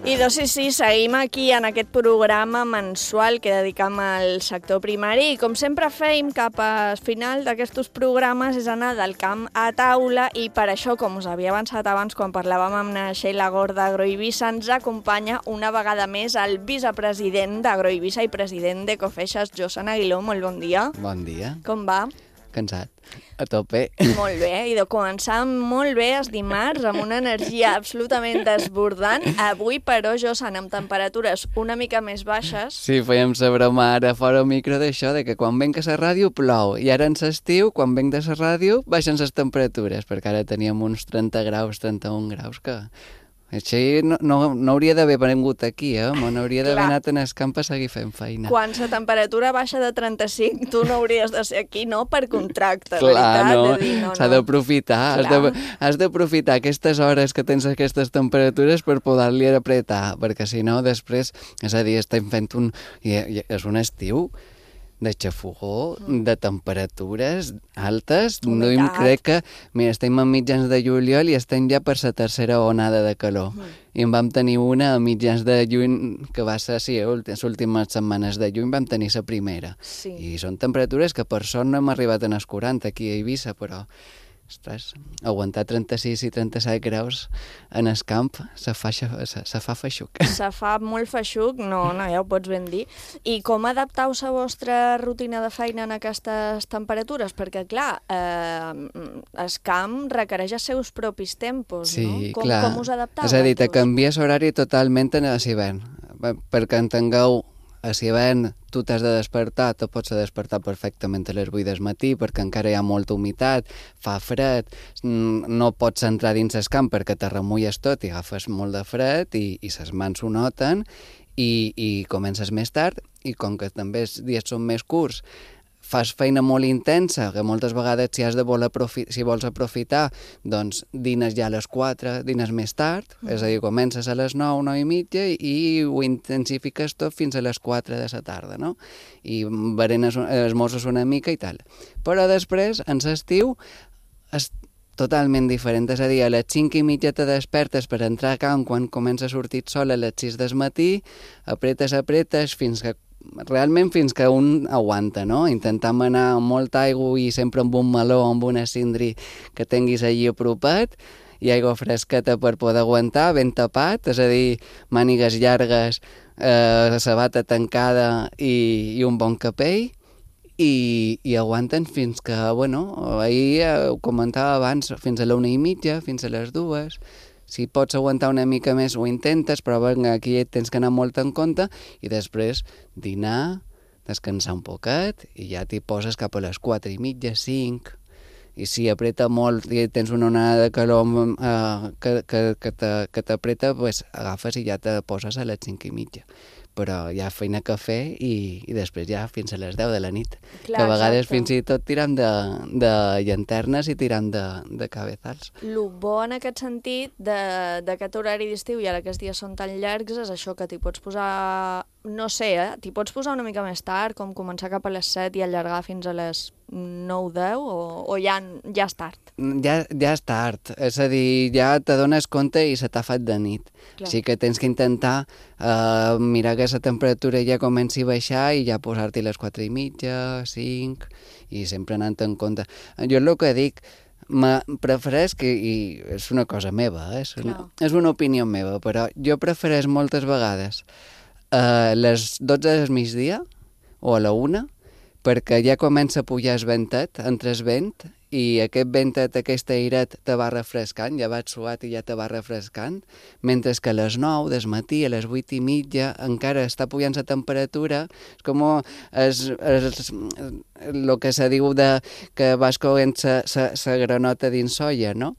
I sí, seguim aquí en aquest programa mensual que dedicam al sector primari i com sempre feim cap al final d'aquests programes és anar del camp a taula i per això, com us havia avançat abans quan parlàvem amb la Sheila Gord d'Agroeivissa, ens acompanya una vegada més el vicepresident d'Agroeivissa i president d'Ecofeixes, Josan Aguiló. Molt bon dia. Bon dia. Com va? Cansat. A tope. Molt bé, i de començar molt bé els dimarts amb una energia absolutament desbordant. Avui, però, Josan, amb temperatures una mica més baixes. Sí, fèiem la broma ara fora al micro d'això, de que quan venc a la ràdio plou, i ara en l'estiu, quan venc de la ràdio, baixen les temperatures, perquè ara teníem uns 30 graus, 31 graus, que... Així no hauria d'haver vengut aquí, n'hauria d'haver anat en el camp a seguir fent feina. Quan la temperatura baixa de 35, tu no hauries de ser aquí, no? Per contracte, veritat. Clar, s'ha d'aprofitar. Has d'aprofitar aquestes hores que tens aquestes temperatures per poder-li apretar, perquè si no, després, és a dir, estem fent és un estiu de xafogó, de temperatures altes. Crec que, mira, estem a mitjans de juliol i estem ja per la tercera onada de calor. I en vam tenir una a mitjans de juny, que va ser, sí, les últimes setmanes de juny vam tenir la primera. I són temperatures que per sort no hem arribat a els 40 aquí a Eivissa, però... Ostres, aguantar 36 i 37 graus en el camp se fa feixuc. Se fa molt feixuc, no, ja ho pots ben dir. I com adaptau la vostra rutina de feina en aquestes temperatures? Perquè, clar, el camp requereix els seus propis tempos, no? Com us adaptau? És a dir, te canvies horari totalment en l'hivern. Perquè entengueu, si hivern tu t'has de despertar, te pots despertar perfectament a les 8 del matí perquè encara hi ha molta humitat, fa fred, no pots entrar dins el camp perquè te remulles tot i agafes molt de fred i les mans ho noten i comences més tard i com que també els dies són més curts, fas feina molt intensa, que moltes vegades si vols aprofitar, doncs dines ja a les 4, dines més tard, és a dir, comences a les 9, 9 i mitja i ho intensifiques tot fins a les 4 de la tarda, no? I berenes, esmorzes una mica i tal. Però després, en l'estiu, és totalment diferent, és a dir, a les 5 i mitja te despertes per entrar a camp quan comença a sortir el sol a les 6 del matí, apretes realment fins que un aguanta, no? Intentam anar amb molta aigua i sempre amb un meló o amb una cindri que tinguis allí apropat i aigua fresqueta per poder aguantar, ben tapat, és a dir, mànigues llargues, sabata tancada i un bon capell i aguanten fins que, bueno, ahir ho comentava abans, fins a la 1:30, fins a les 2. Si pots aguantar una mica més ho intentes, però aquí tens que anar molt en compte i després dinar, descansar un poquet i ja t'hi poses cap a les 4:30, 5. I si apreta molt i tens una onada de calor que t'apreta, pues agafes i ja te poses a les 5:30. Però hi ha feina a fer i després ja fins a les 10 de la nit. Clar, que a vegades fins i tot tiram de llanternes i tiram de cabezals. El bo en aquest sentit d'aquest horari d'estiu i ara que els dies són tan llargs és això que t'hi pots posar, no sé, t'hi pots posar una mica més tard, com començar cap a les 7 i allargar fins a les 9-10 o ja és tard? Ja és tard, és a dir, ja te dones compte i se t'ha fet de nit. Clar. Així que tens que intentar mirar que la temperatura ja comenci a baixar i ja posar-t'hi les 4:30, 5, i sempre anant en compte. Jo el que dic, prefereix que, i és una cosa meva, és una opinió meva, però jo prefereix moltes vegades a les 12 del migdia o a la 1, perquè ja comença a pujar el ventet, entre el vent, i aquest ventet, aquest airet te va refrescant, ja vas suat i ja te va refrescant, mentre que a les 9 del matí, a les 8:30, encara està pujant la temperatura, és com el que se diu que vas coent la granota dins olla, no?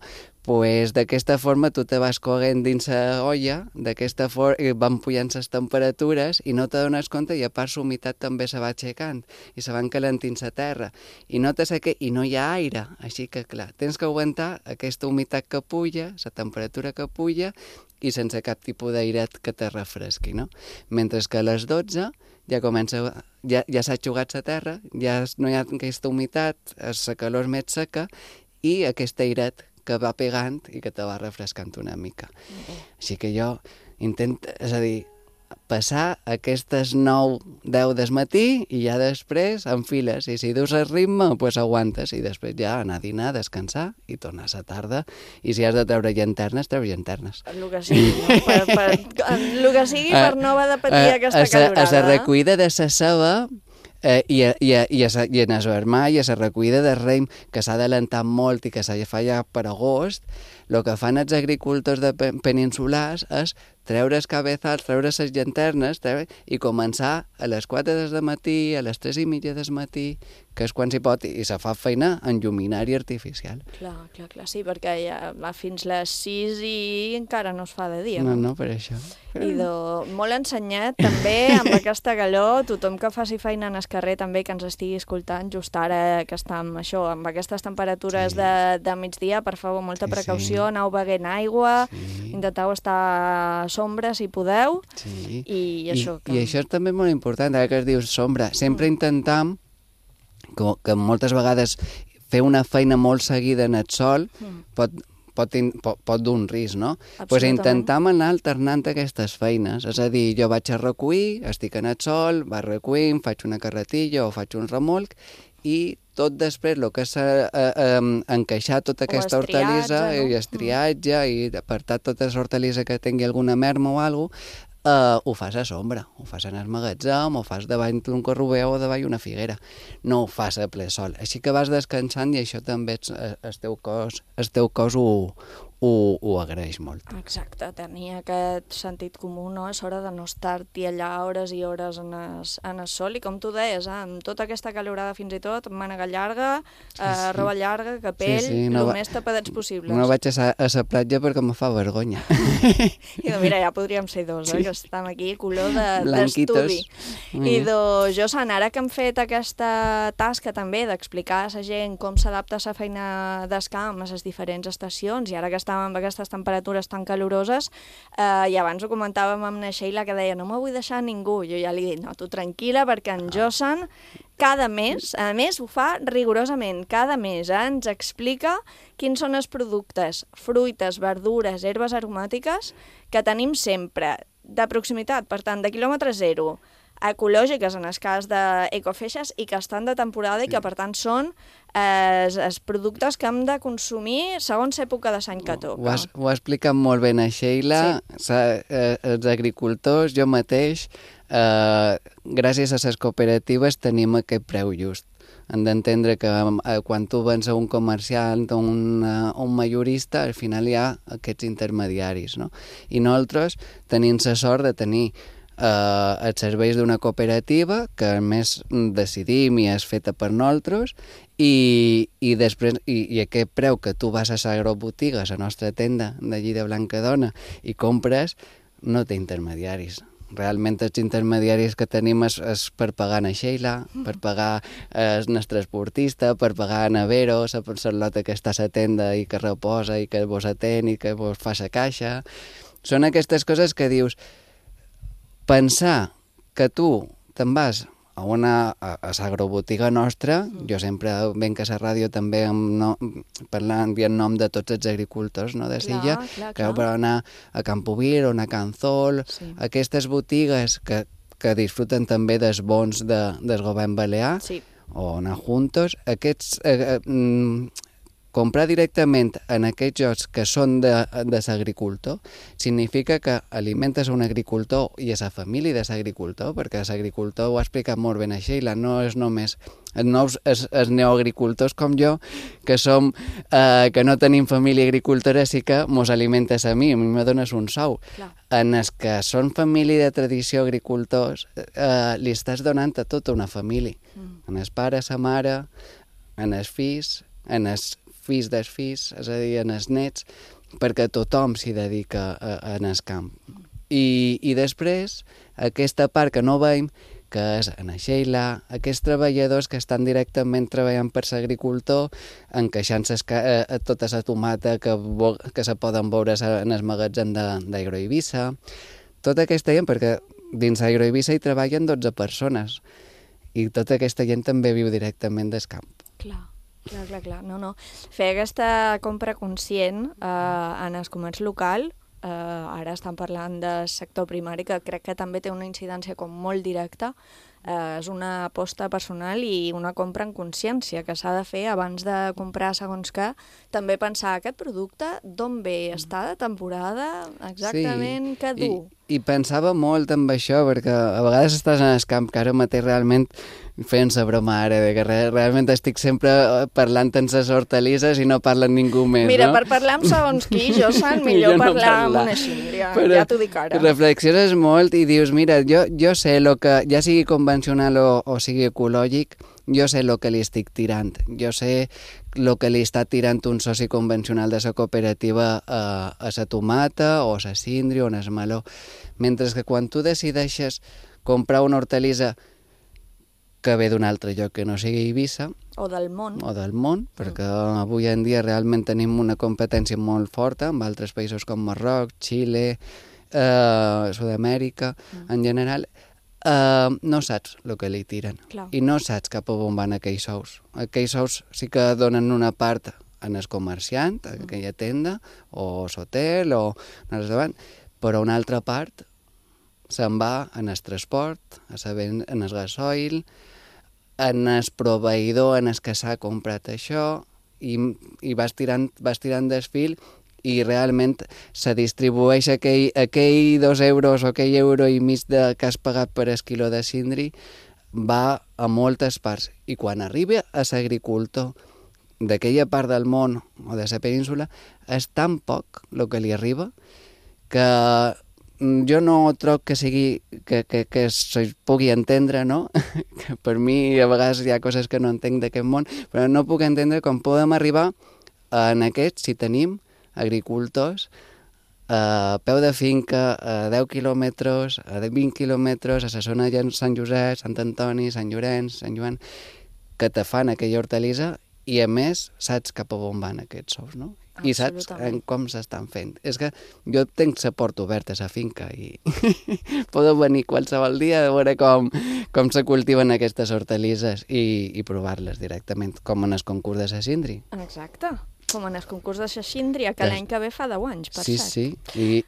Pues d'aquesta forma tu te vas coent dins la olla, d'aquesta forma van pujant les temperatures i no te dones compte i a part la humitat també se va aixecant i se van calentint la terra i no i no hi ha aire, així que clar, tens que aguantar aquesta humitat que puja, la temperatura que puja i sense cap tipus d'airet que te refresqui, no? Mentre que a les 12 ja s'ha aixugat la terra, ja no hi ha aquesta humitat, la calor és més seca i aquest airet que va pegant i que te va refrescant una mica. Així que jo intento, és a dir, passar aquestes 9-10 del matí i ja després enfiles. I si dus el ritme, doncs aguantes i després ja anar a dinar, descansar i tornar a la tarda. I si has de treure llanternes, treure llanternes. El que sigui, no? El que sigui per no haver de patir aquesta calorada. A la recuida de la ceba i en el vermell i a la recollida de raïm que s'ha d'adelantar molt i que s'ha de fer ja per agost, el que fan els agricultors peninsulars és treure els cabezals, treure les llanternes i començar a les 4 del matí, a les 3:30 del matí, que és quan s'hi pot, i se fa feina en lluminari artificial. Clar, sí, perquè ja va fins les 6 i encara no es fa de dia. No, per això. I molt ensenyat també amb aquesta calor, tothom que faci feina en el carrer també que ens estigui escoltant just ara que estem amb aquestes temperatures de migdia, per favor, molta precaució, aneu beguent aigua, intenteu estar a sombra si podeu, i això. I això és també molt important, ara que es diu sombra, sempre intentam que moltes vegades fer una feina molt seguida en el sol pot dur un risc, no? Doncs intentam anar alternant aquestes feines, és a dir, jo vaig a recollir, estic en el sol, vaig recollint, faig una carretilla o faig un remolc i tot després el que és encaixar tota aquesta hortalissa i el triatge i apartar tota la hortalissa que tingui alguna merma o alguna cosa, ho fas a sombra, ho fas en el magatzem, ho fas davant d'un corrober o davant una figuera, no ho fas a ple sol. Així que vas descansant i això també el teu cos ho ho agraeix molt. Exacte, tenir aquest sentit comú, no? És hora de no estar-t'hi allà hores i hores en el sol, i com tu deies, amb tota aquesta calorada fins i tot, mànega llarga, roba llarga, capell, el més tapadets possibles. No vaig a la platja perquè me fa vergonya. I mira, ja podríem ser dos, que estem aquí, color d'estudi. I Josan, ara que hem fet aquesta tasca també d'explicar a la gent com s'adapta a la feina d'escamp a les diferents estacions, i ara que estàvem amb aquestes temperatures tan caloroses, i abans ho comentàvem amb na Sheila, que deia, no me vull deixar ningú. Jo ja li he dit, no, tu tranquil·la, perquè en Josan cada mes, a més ho fa rigorosament, cada mes ens explica quins són els productes, fruites, verdures, herbes aromàtiques que tenim sempre de proximitat, per tant, de quilòmetre zero, ecològiques en el cas d'Ecofeixes, i que estan de temporada i que per tant són els productes que hem de consumir segons època de l'any que toca. Ho ha explicat molt bé na Sheila, els agricultors, jo mateix, gràcies a les cooperatives tenim aquest preu just. Hem d'entendre que quan tu vens a un comerciant o un majorista, al final hi ha aquests intermediaris, no? I nosaltres tenim la sort de tenir els serveis d'una cooperativa que a més decidim i és feta per nosaltres, i després i aquest preu que tu vas a l'agrobotiga, a la nostra tenda d'allí de Blancadona, i compres, no té intermediaris. Realment els intermediaris que tenim és per pagar a Sheila, per pagar el nostre transportista, per a Navero, la lota que està a la tenda i que reposa i que vos atén i que vos fa la caixa. Són aquestes coses que dius, pensar que tu te'n vas a l'agrobotiga nostra, jo sempre venc a la ràdio també parlant en nom de tots els agricultors de Silla, que per anar a Campovir o a Canzol, aquestes botigues que disfruten també dels bons del govern balear, o anar juntos, aquests comprar directament en aquests jocs que són de l'agricultor significa que alimentes un agricultor i a la família de l'agricultor, perquè l'agricultor ho ha explicat molt ben a Sheila, no és només els neoagricultors com jo, que que no tenim família agricultora, sí que mos alimentes a mi me dones un sou. En els que són família de tradició agricultors, li estàs donant a tota una família. En els pares, la mare, en els fills, en els fills dels fills, és a dir, en els nets, perquè tothom s'hi dedica en el camp. I després, aquesta part que no veiem, que és en Sheila, aquests treballadors que estan directament treballant per l'agricultor, encaixant tota la tomata que se poden veure en el magatzem d'Agroeivissa, tota aquesta gent, perquè dins d'Agroeivissa hi treballen 12 persones, i tota aquesta gent també viu directament del camp. Clar. No. Fer aquesta compra conscient en el comerç local, ara estan parlant del sector primari, que crec que també té una incidència com molt directa, és una aposta personal i una compra en consciència que s'ha de fer abans de comprar segons què. També pensar aquest producte d'on ve, està de temporada, exactament què du. I pensava molt amb això, perquè a vegades estàs en el camp, que ara mateix realment fent la broma ara, que realment estic sempre parlant en les hortalisses i no parla ningú més, Mira, no? per parlar amb segons qui, Josan, millor parlar amb una xíndria, ja t'ho dic ara. Reflexiones molt i dius, mira, jo sé el que, ja sigui convencional o sigui ecològic, jo sé el que li estic tirant, jo sé el que li està tirant un soci convencional de la cooperativa a la tomata o a la síndria o a el meló, mentre que quan tu decideixes comprar una hortalissa que ve d'un altre lloc que no sigui Eivissa, o del món, perquè avui en dia realment tenim una competència molt forta amb altres països com Marroc, Xile, Sud-amèrica, en general, no saps el que li tiren. Clar. I no saps cap a on van aquells ous. Aquells ous sí que donen una part en el comerciant, a aquella tenda, o l'hotel, o en el restaurant, però una altra part se'n va en el transport, en el gasoil, en el proveïdor en el que s'ha comprat això, i vas tirant del fil, i realment se distribueix aquell 2 euros o aquell euro i mig que has pagat per el quilo de síndria va a moltes parts. I quan arriba a l'agricultor, d'aquella part del món o de la península és tan poc el que li arriba que jo no trobo que sigui que se pugui entendre, no? Que per mi a vegades hi ha coses que no entenc d'aquest món, però no puc entendre com podem arribar en aquest si tenim agricultors a peu de finca, a 10 quilòmetres, a 20 quilòmetres, a la zona de Sant Josep, Sant Antoni, Sant Llorenç, Sant Joan, que te fan aquella hortalissa i, a més, saps cap a on van aquests sous, no? I saps com s'estan fent. És que jo tenc la porta oberta a la finca i podeu venir qualsevol dia a veure com se cultiven aquestes hortalisses i provar-les directament, com en el concurs de la Síndria. Exacte, com en el concurs de la Síndria, que l'any que ve fa 10 anys, per cert. Sí.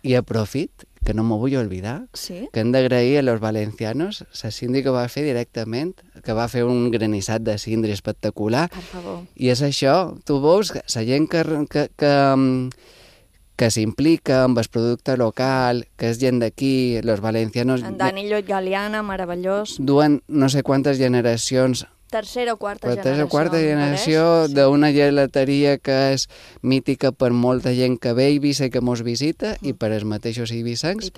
I aprofit, que no m'ho vull oblidar, que hem d'agrair a los valencianos la síndria que va fer directament, que va fer un granissat de síndria espectacular. Per favor. I és això, tu veus, la gent que s'implica amb el producte local, que és gent d'aquí, los valencianos... En Dani Llot Galiana, meravellós. Duen no sé quantes generacions... Tercera o quarta generació d'una gelateria que és mítica per molta gent que ve a Eivissa i que mos visita i per els mateixos eivissencs.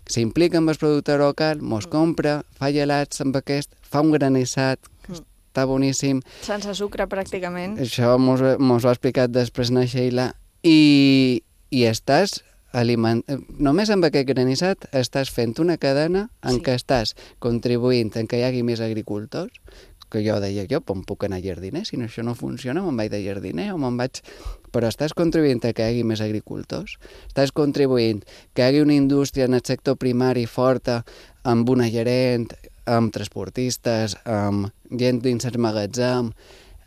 S'implica amb el producte local, mos compra, fa gelats amb aquest, fa un granissat, està boníssim. Sense sucre, pràcticament. Això mos ho ha explicat després na Sheila. I estàs només amb aquest granissat estàs fent una cadena en què estàs contribuint en que hi hagi més agricultors, que jo deia, em puc anar a jardiner, si no això no funciona, me'n vaig de jardiner o me'n vaig... Però estàs contribuint a que hi hagi més agricultors, estàs contribuint que hi hagi una indústria en el sector primari forta, amb una gerent, amb transportistes, amb gent dins el magatzem,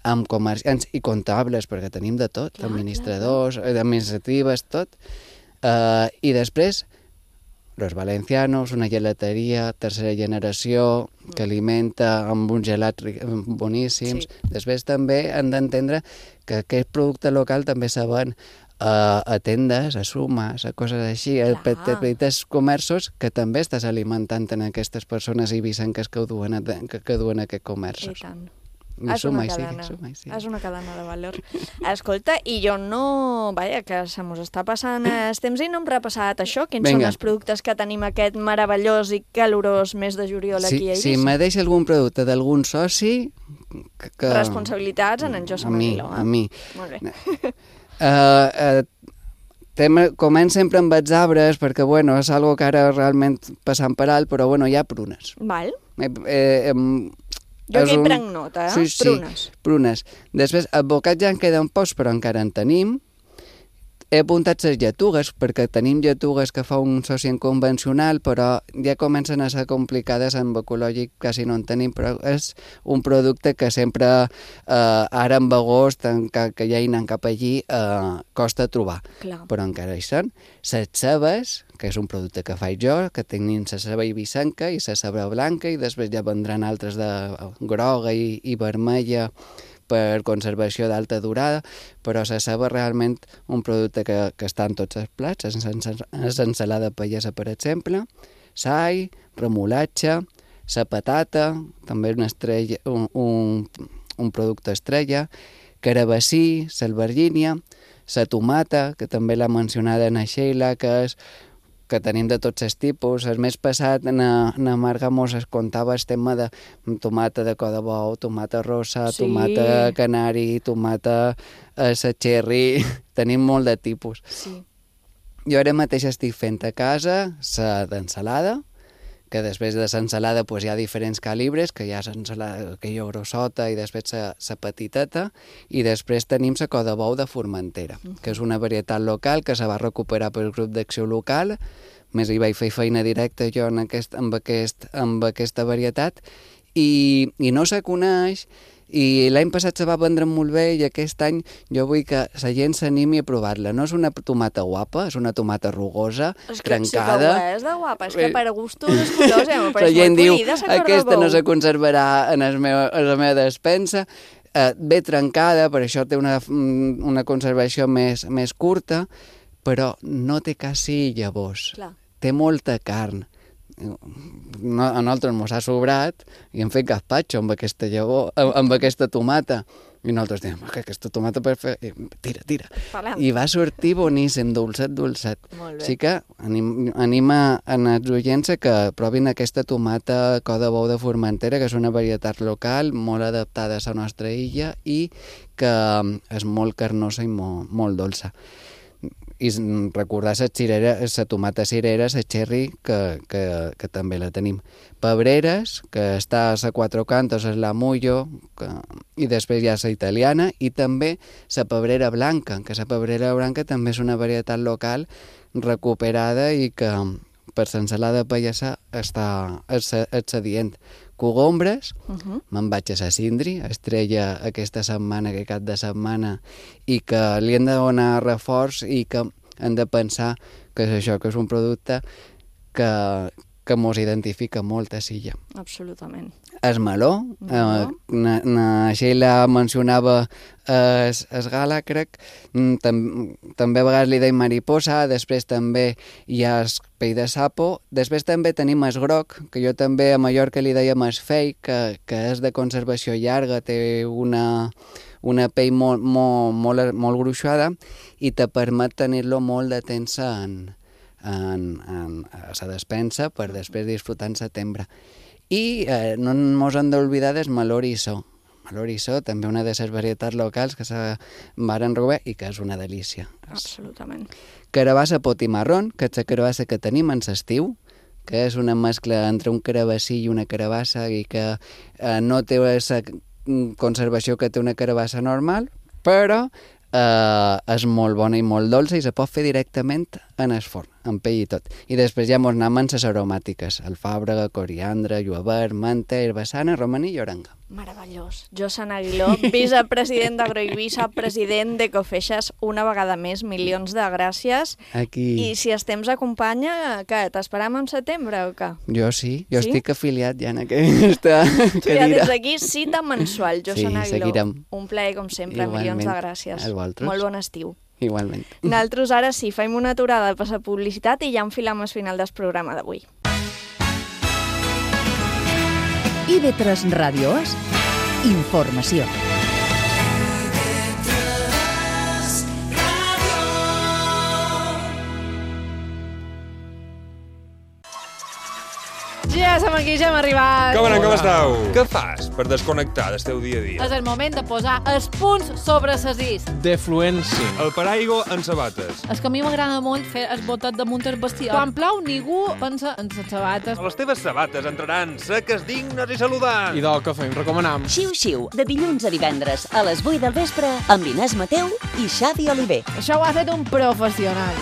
amb comerciants i comptables, perquè tenim de tot, administradors, administratives, tot. I després, los valencianos, una gelateria, tercera generació, que alimenta amb uns gelats boníssims. Després també han d'entendre que aquest producte local també se ven a tendes, a sumes, a coses així, a petits comerços que també estàs alimentant en aquestes persones eivissenques que duen aquests comerços. I tant. És una cadena de valor. Escolta, i jo no... Vaja, que se mos està passant el temps i no hem repassat això. Quins són els productes que tenim aquest meravellós i calorós mes de juliol aquí a Eivissa? Si me deixa algun producte d'algun soci... Responsabilitats en Josep Aguiló. A mi. Molt bé. Començ sempre amb els arbres, perquè, bueno, és algo que ara realment passant per alt, però, bueno, hi ha prunes. Val. Jo aquí prenc nota, prunes. Prunes. Després, advocats ja en queden pocs, però encara en tenim. He apuntat les lletugues, perquè tenim lletugues que fa un soci en convencional, però ja comencen a ser complicades, amb ecològic quasi no en tenim, però és un producte que sempre, ara en agost, que ja hi anem cap allí, costa trobar. Clar. Però encara hi són. Les cebes, que és un producte que faig jo, que tenim la ceba eivissenca i la ceba blanca, i després ja vendran altres de groga i vermella, per conservació d'alta durada, però la ceba realment un producte que està en tots els plats, és ensalada pallesa, per exemple, sai, remolatge, la patata, també una estrella, un producte estrella, carabassí, l'albergínia, la tomata, que també l'ha mencionada na Sheila, que tenim de tots els tipus. El mes passat na Marga mos es contava el tema de tomata de cor de bou, tomata rosa, tomata canari, tomata cherry, tenim molt de tipus. Sí. Jo ara mateix estic fent a casa la d'ensalada, que després de l'ensalada hi ha diferents calibres, que hi ha l'ensalada aquella grossota i després la petiteta, i després tenim la cor de bou de Formentera, que és una varietat local que se va recuperar pel grup d'acció local, més hi vaig fer feina directa jo amb aquesta varietat, i no se coneix, i l'any passat se va vendre molt bé i aquest any jo vull que la gent s'animi a provar-la. No és una tomata guapa, és una tomata rugosa, trencada. Sí que és de guapa, és que per gustos els colors la gent diu, aquesta no se conservarà en la meva despensa. Ve trencada, per això té una conservació més curta, però no té quasi llavors. Clar. Té molta carn. a nosaltres mos ha sobrat i hem fet gazpacho amb aquesta llavor, amb aquesta tomata. I nosaltres diem, que aquesta tomata per fer... Tira. I va sortir boníssim, dolcet. Molt bé. Així que anima els oients que provin aquesta tomata cod de bou de Formentera, que és una varietat local, molt adaptada a la nostra illa i que és molt carnosa i molt dolça. I recordar la tomata cirera, la cherry, que també la tenim. Pebreres, que està a Quatre Cantos, és la mullo, i després hi ha la italiana, i també la pebrera blanca, que la pebrera blanca també és una varietat local recuperada i que per l'ensalada pallassa està excedient. Cogombres, me'n vaig a la Sindri, estrella aquesta setmana, aquest cap de setmana, i que li hem de donar reforç i que hem de pensar que és això, que és un producte que mos identifica molt a Silla. Absolutament. El meló, na Sheila mencionava es gala, crec, també a vegades li deim mariposa, després també hi ha el pell de sapo, després també tenim el groc, que jo també a Mallorca li dèiem el fei, que és de conservació llarga, té una pell molt gruixada i te permet tenir-lo molt de temps a la despensa per després disfrutar en setembre. I no ens hem d'oblidar del meló eriçó. Meló eriçó, també una de les varietats locals que se varen robar i que és una delícia. Absolutament. Carabassa potimarrón, que és la carabassa que tenim en l'estiu, que és una mescla entre un carabassí i una carabassa i que no té la conservació que té una carabassa normal, però és molt bona i molt dolça i se pot fer directament en el forn, amb pell i tot. I després ja mos anem amb les aromàtiques, alfàbrega, coriandre, lluevert, menta, herbassana, romaní i orenga. Meravellós. Josan Aguiló, vicepresident d'Agroeivissa, president d'Ecofeixes, una vegada més, milions de gràcies. Aquí. I si el temps acompanya, què, t'esperam en setembre o què? Jo sí, estic afiliat ja en aquesta cadira. Ja des d'aquí, cita mensual, Josan Aguiló. Seguirem. Un plaer, com sempre, milions de gràcies. Vosaltres. Molt bon estiu. Igualment. Nosaltres ara sí, fem una aturada per la publicitat i ja enfilam el final del programa d'avui. IB3 Ràdio és informació. Ja som aquí, ja hem arribat. Com esteu? Què fas per desconnectar del teu dia a dia? És el moment de posar els punts sobre les is. De fluència. El paraigua en sabates. És que a mi m'agrada molt fer el botet damunt el vestido. Quan plou, ningú pensa en les sabates. Les teves sabates entraran seques, dignes i saludants. I del que fem, recomanam. Xiu-xiu, de dilluns a divendres, a les 8 del vespre, amb Inés Mateu i Xavi Oliver. Això ho ha fet un professional.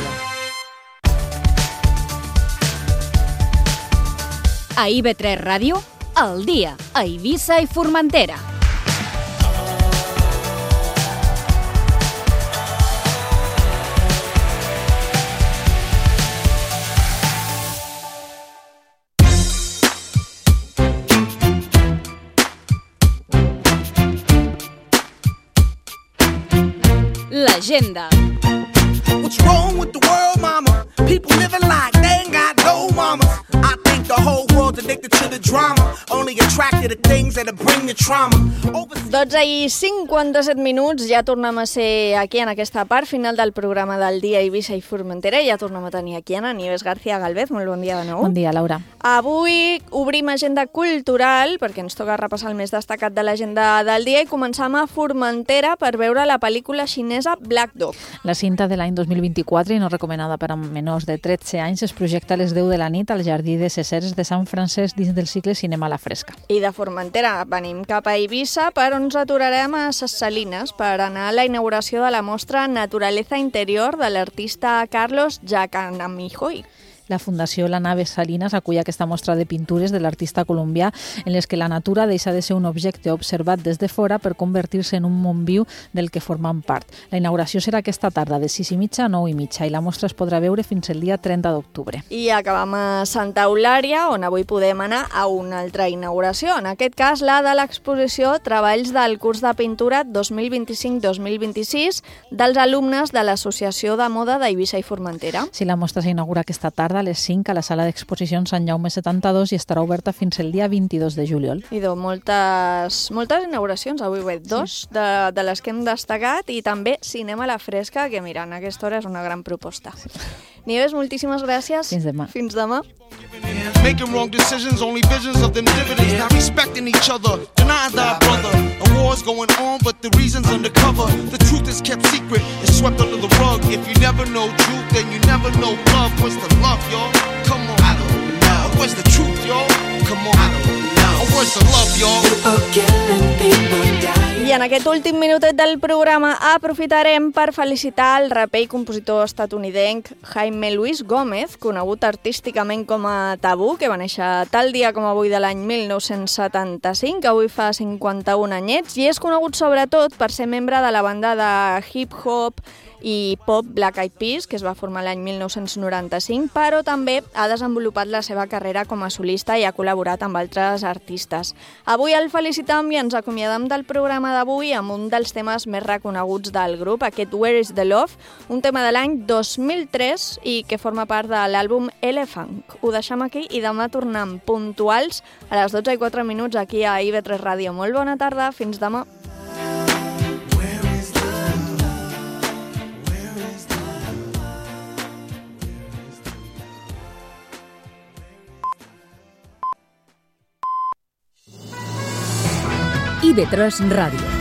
A IB3 Ràdio, al dia, a Eivissa i Formentera. L'agenda. What's wrong with the world, mama? People living like they ain't got no mamas. I think the whole world's addicted to the drama, only attracted to things that bring the trauma. 12:57 minuts, ja tornem a ser aquí en aquesta part final del programa del dia Eivissa i Formentera. Ja tornem a tenir aquí a Nieves García Galvez. Molt bon dia de nou. Bon dia, Laura. Avui obrim agenda cultural, perquè ens toca repassar el més destacat de l'agenda del dia, i començam a Formentera per veure la pel·lícula xinesa Black Dog. La cinta de l'any 2024 i no recomanada per a menors de 13 anys es projecta a les 10 de la nit al Jardí de Ceseres de Sant Francesc dins del cicle Cinema a la Fresca. I de Formentera venim cap a Eivissa, però ens aturarem a Ses Salines per anar a la inauguració de la mostra Naturaleza Interior de l'artista Carlos Jacanamijoy. La Fundació La Nave Salinas acull aquesta mostra de pintures de l'artista colombià en les que la natura deixa de ser un objecte observat des de fora per convertir-se en un món viu del que formen part. La inauguració serà aquesta tarda de 6:30 a 9:30 i la mostra es podrà veure fins el dia 30 d'octubre. I acabam a Santa Eulària, on avui podem anar a una altra inauguració, en aquest cas la de l'exposició Treballs del curs de pintura 2025-2026 dels alumnes de l'Associació de Moda d'Eivissa i Formentera. Sí, la mostra s'inaugura aquesta tarda a les 5 a la sala d'exposicions Sant Jaume 72 i estarà oberta fins el dia 22 de juliol. I moltes inauguracions, avui ho he dit, dos de les que hem destacat, i també Cinema a la Fresca, que mira, en aquesta hora és una gran proposta. Nieves, moltíssimes gràcies. Fins demà. Fins demà. Making wrong decisions, only visions of them dividends. Not respecting each other, denying thy brother. A war's going on, but the reason's undercover. The truth is kept secret, it's swept under the rug. If you never know truth, then you never know love. Where's the love, y'all? Come on. I don't know. Where's the truth, y'all? Come on. I don't know. Where's the love, y'all? People killing, people dying. I en aquest últim minutet del programa aprofitarem per felicitar el raper i compositor estatunidenc Jaime Luis Gómez, conegut artísticament com a Tabú, que va néixer tal dia com avui de l'any 1975, que avui fa 51 anyets, i és conegut sobretot per ser membre de la banda de hip-hop i pop Black Eyed Peas, que es va formar l'any 1995, però també ha desenvolupat la seva carrera com a solista i ha col·laborat amb altres artistes. Avui el felicitam i ens acomiadam del programa d'avui amb un dels temes més reconeguts del grup, aquest Where is the Love, un tema de l'any 2003 i que forma part de l'àlbum Elephant. Ho deixem aquí i demà tornem puntuals a les 12:04 aquí a IB3 Ràdio. Molt bona tarda, fins demà. IB3 Ràdio.